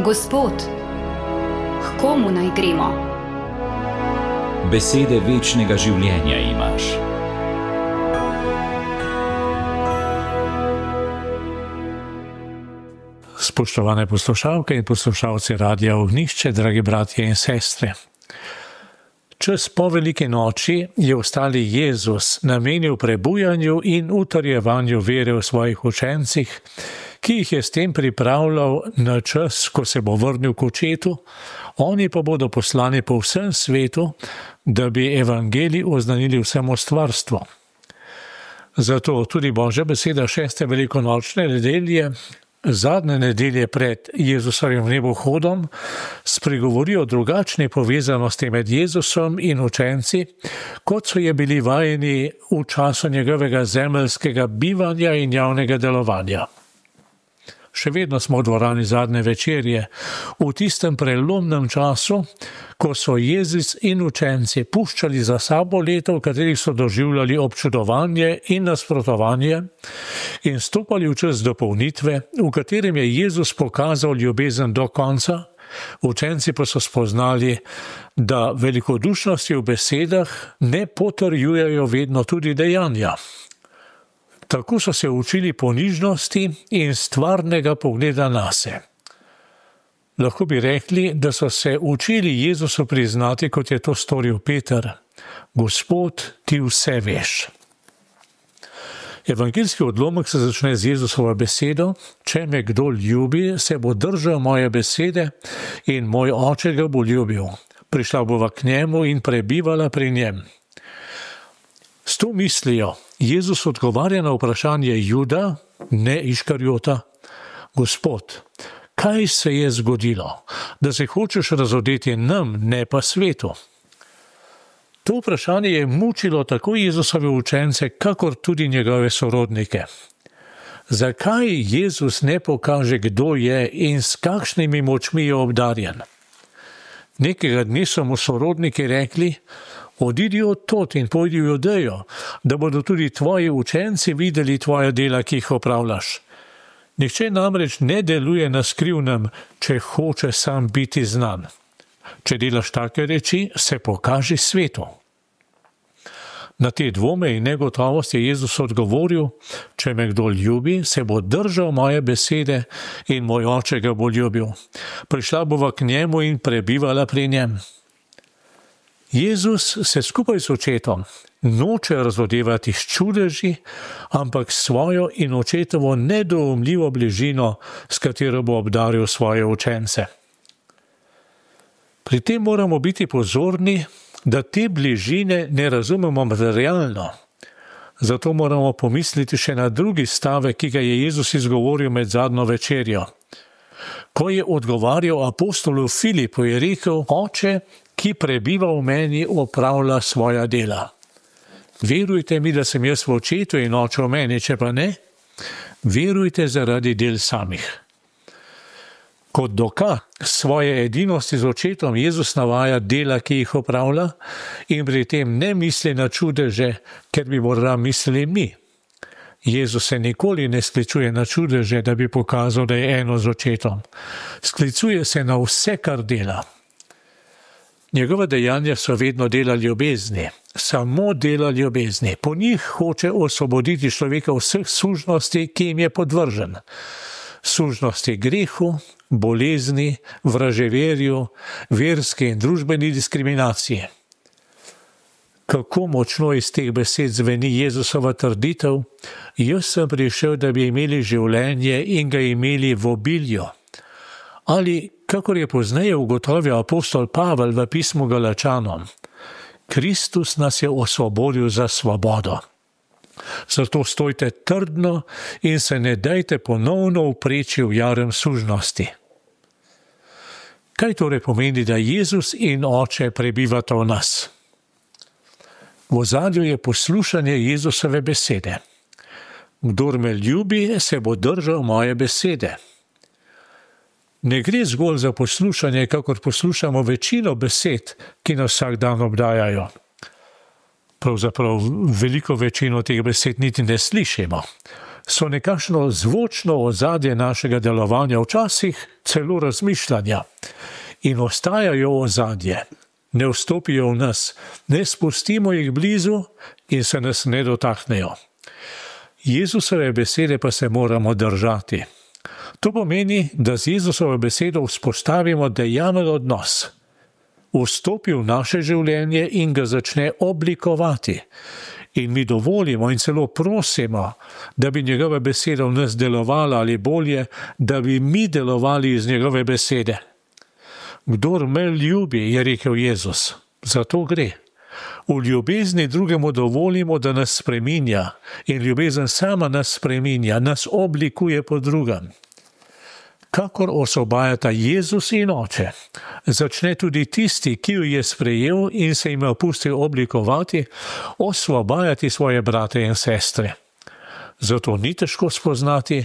Gospod, k komu naj gremo? Besede večnega življenja imaš. Spoštovane poslušalke in poslušalci Radia Ognjišče, dragi bratje in sestre. Čas po veliki noči je ostali Jezus namenil prebujanju in utrjevanju vere v svojih učencih, ki jih je s tem pripravljal na čas, ko se bo vrnil k očetu, oni pa bodo poslani po vsem svetu, da bi evangelij oznanili vsemu stvarstvu. Zato tudi Božja beseda 6. velikonočne nedelje, zadnje nedelje pred Jezusovim nebohodom, spregovori o drugačni povezanosti med Jezusom in učenci, kot so je bili vajeni v času njegovega zemeljskega bivanja in javnega delovanja. Še vedno smo v dvorani zadnje večerje, v tistem prelomnem času, ko so Jezus in učenci puščali za sabo leto, v katerih so doživljali občudovanje in nasprotovanje, in stopali v čas dopolnitve, v katerem je Jezus pokazal ljubezen do konca, učenci pa so spoznali, da velikodušnosti v besedah ne potrjujejo vedno tudi dejanja. Tako so se učili ponižnosti in stvarnega pogleda nase. Lahko bi rekli, da so se učili Jezusu priznati, kot je to storil Peter: Gospod, ti vse veš. Evangeljski odlomek se začne z Jezusovo besedo: Če me kdo ljubi, se bo držal moje besede in moj oče ga bo ljubil. Prišla bova k njemu in prebivala pri njem. S to mislijo Jezus odgovarja na vprašanje Juda, ne Iškarjota: Gospod, kaj se je zgodilo, da se hočeš razodeti nam, ne pa svetu? To vprašanje je mučilo tako Jezusove učence, kakor tudi njegove sorodnike. Zakaj Jezus ne pokaže, kdo je in s kakšnimi močmi je obdarjen? Nekega dne so mu sorodniki rekli: Odidi od tod in pojdi v Judejo, da bodo tudi tvoji učenci videli tvoja dela, ki jih opravljaš. Nihče namreč ne deluje na skrivnem, če hoče sam biti znan. Če delaš take reči, se pokaži svetu. Na te dvome in negotovost je Jezus odgovoril: Če me kdo ljubi, se bo držal moje besede in moj oče ga bo ljubil. Prišla bova k njemu in prebivala pri njem. Jezus se skupaj s očetom noče razodevati s čudeži, ampak svojo in očetovo nedoumljivo bližino, s katero bo obdaril svoje učence. Pri tem moramo biti pozorni, da te bližine ne razumemo materialno. Zato moramo pomisliti še na drugi stavek, ki ga je Jezus izgovoril med zadnjo večerjo. Ko je odgovarjal apostolu Filipu, je rekel: Oče, ki prebiva v meni, opravlja svoja dela. Verujte mi, da sem jaz v očetu in oče v meni, če pa ne, verujte zaradi del samih. Kot dokaz svoje edinosti z očetom Jezus navaja dela, ki jih opravlja, in pri tem ne misli na čudeže, ker bi morda mislili mi. Jezus se nikoli ne sklicuje na čudeže, da bi pokazal, da je eno z očetom. Sklicuje se na vse, kar dela. Njegova dejanja so vedno dela ljubezni, samo dela ljubezni. Po njih hoče osvoboditi človeka vseh sužnosti, ki jim je podvržen. Sužnosti grehu, bolezni, vraževerju, verski in družbeni diskriminaciji. Kako močno iz teh besed zveni Jezusova trditev: Jaz sem prišel, da bi imeli življenje in ga imeli v obilju. Ali, kakor je pozneje ugotovil apostol Pavel v pismu Galačanom: Kristus nas je osvobodil za svobodo. Zato stojte trdno in se ne dajte ponovno upreči v jarem sužnosti. Kaj torej pomeni, da Jezus in Oče prebivata v nas? V ozadju je poslušanje Jezusove besede. Kdor me ljubi, se bo držal moje besede. Ne gre zgolj za poslušanje, kakor poslušamo večino besed, ki nas vsak dan obdajajo. Pravzaprav veliko večino teh besed niti ne slišimo. so nekakšno zvočno ozadje našega delovanja, včasih celo razmišljanja, in ostajajo ozadje, ne vstopijo v nas, ne spustimo jih blizu in se nas ne dotaknejo. Jezusove besede pa se moramo držati. To pomeni, da z Jezusovo besedo vzpostavimo dejaven odnos, vstopi v naše življenje in ga začne oblikovati. In mi dovolimo in celo prosimo, da bi njegova beseda v nas delovala, ali bolje, da bi mi delovali iz njegove besede. Kdor me ljubi, je rekel Jezus, zato gre. V ljubezni drugemu dovolimo, da nas spreminja, in ljubezen sama nas spreminja, nas oblikuje po drugem. Kakor osvobajata Jezus in Oče, začne tudi tisti, ki jo je sprejel in se jim opustil oblikovati, osvobajati svoje brate in sestre. Zato ni težko spoznati,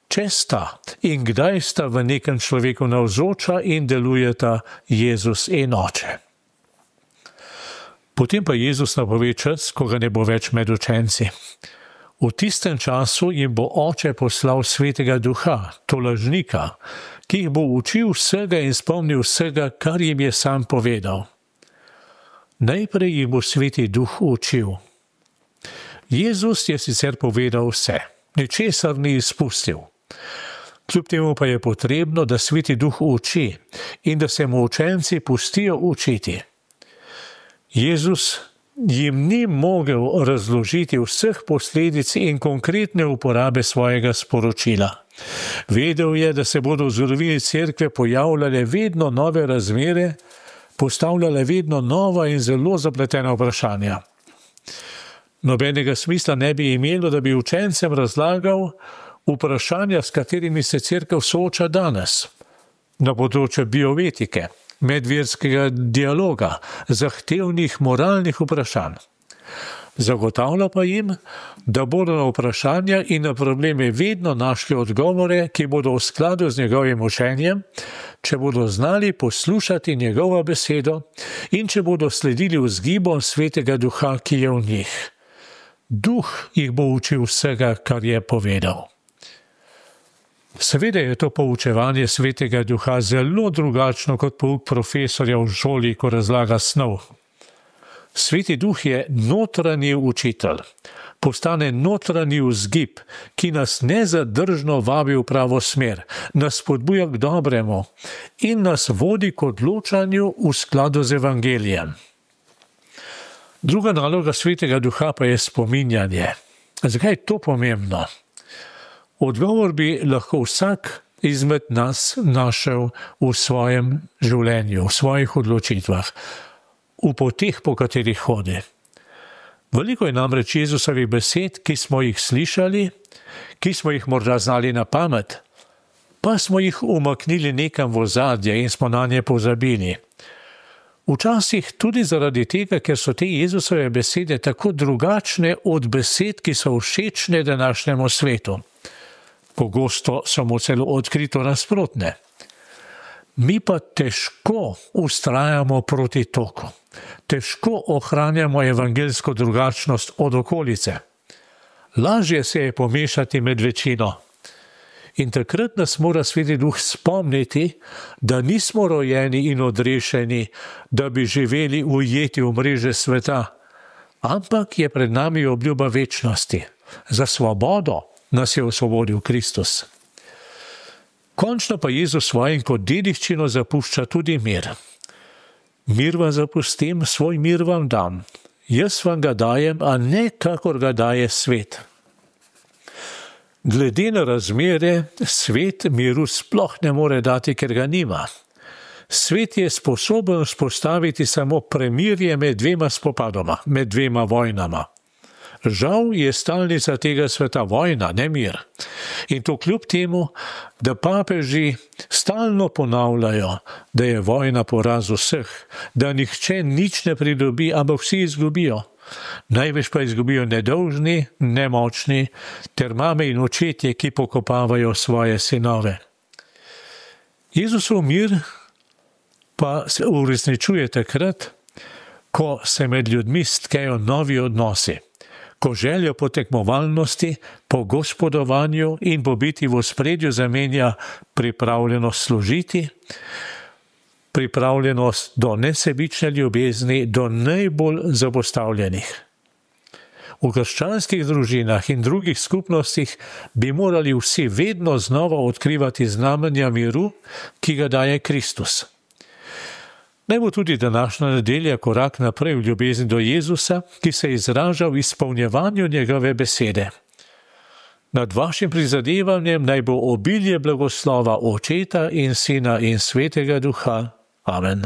če sta in kdaj sta v nekem človeku navzoča in delujeta Jezus in Oče. Potem pa Jezus napove čas, ko ga ne bo več med učenci. V tistem času jim bo Oče poslal Svetega Duha, tolažnika, ki jih bo učil vsega in spomnil vsega, kar jim je sam povedal. Najprej jih bo Sveti Duh učil. Jezus je sicer povedal vse, ničesar ni izpustil. Kljub temu pa je potrebno, da Sveti Duh uči in da se mu učenci pustijo učiti. Jezus jim ni mogel razložiti vseh posledic in konkretne uporabe svojega sporočila. Vedel je, da se bodo v zgodovini cerkve pojavljale vedno nove razmere, postavljale vedno nova in zelo zapletena vprašanja. Nobenega smisla ne bi imelo, da bi učencem razlagal vprašanja, s katerimi se cerkev sooča danes, na področju bioetike, medverskega dialoga, zahtevnih moralnih vprašanj. Zagotavlja pa jim, da bodo na vprašanja in na probleme vedno našli odgovore, ki bodo v skladu z njegovim učenjem, če bodo znali poslušati njegovo besedo in če bodo sledili vzgibom Svetega Duha, ki je v njih. Duh jih bo učil vsega, kar je povedal. Seveda je to poučevanje Svetega Duha zelo drugačno kot pouk profesorja v šoli, ko razlaga snov. Sveti Duh je notranji učitelj, postane notranji vzgib, ki nas nezadržno vabi v pravo smer, nas spodbuja k dobremu in nas vodi k odločanju v skladu z evangelijem. Druga naloga Svetega Duha pa je spominjanje. Zakaj je to pomembno? Odgovor bi lahko vsak izmed nas našel v svojem življenju, v svojih odločitvah, v poteh, po katerih hodi. Veliko je namreč Jezusovih besed, ki smo jih slišali, ki smo jih morda znali na pamet, pa smo jih umaknili nekam v ozadje in smo na nje pozabili. Včasih tudi zaradi tega, ker so te Jezusove besede tako drugačne od besed, ki so všečne današnjemu svetu. Pogosto so mu celo odkrito nasprotne. Mi pa težko vztrajamo proti toku. Težko ohranjamo evangeljsko drugačnost od okolice. Lažje se je pomešati med večino. In takrat nas mora Sveti Duh spomniti, da nismo rojeni in odrešeni, da bi živeli ujeti v mreže sveta, ampak je pred nami obljuba večnosti. Za svobodo nas je osvobodil Kristus. Končno pa Jezus svojim kot dediščino zapušča tudi mir. Mir vam zapustim, svoj mir vam dam. Jaz vam ga dajem, a ne kakor ga daje svet. Glede na razmere, svet miru sploh ne more dati, ker ga nima. Svet je sposoben vzpostaviti samo premirje med dvema spopadoma, med dvema vojnama. Žal je stalnica tega sveta vojna, ne mir. In to kljub temu, da papeži stalno ponavljajo, da je vojna poraz vseh, da nihče nič ne pridobi, ampak vsi izgubijo. Največ pa izgubijo nedolžni, nemočni, ter mame in očetje, ki pokopavajo svoje sinove. Jezusov mir pa se uresničuje takrat, ko se med ljudmi stkejo novi odnosi, ko željo po tekmovalnosti, po gospodovanju in po biti v ospredju zamenja pripravljenost služiti, pripravljenost do nesebične ljubezni, do najbolj zapostavljenih. V krščanskih družinah in drugih skupnostih bi morali vsi vedno znova odkrivati znamenja miru, ki ga daje Kristus. Naj bo tudi današnja nedelja korak naprej v ljubezni do Jezusa, ki se izraža v izpolnjevanju njegove besede. Nad vašim prizadevanjem naj bo obilje blagoslova Očeta in Sina in Svetega Duha. Amen.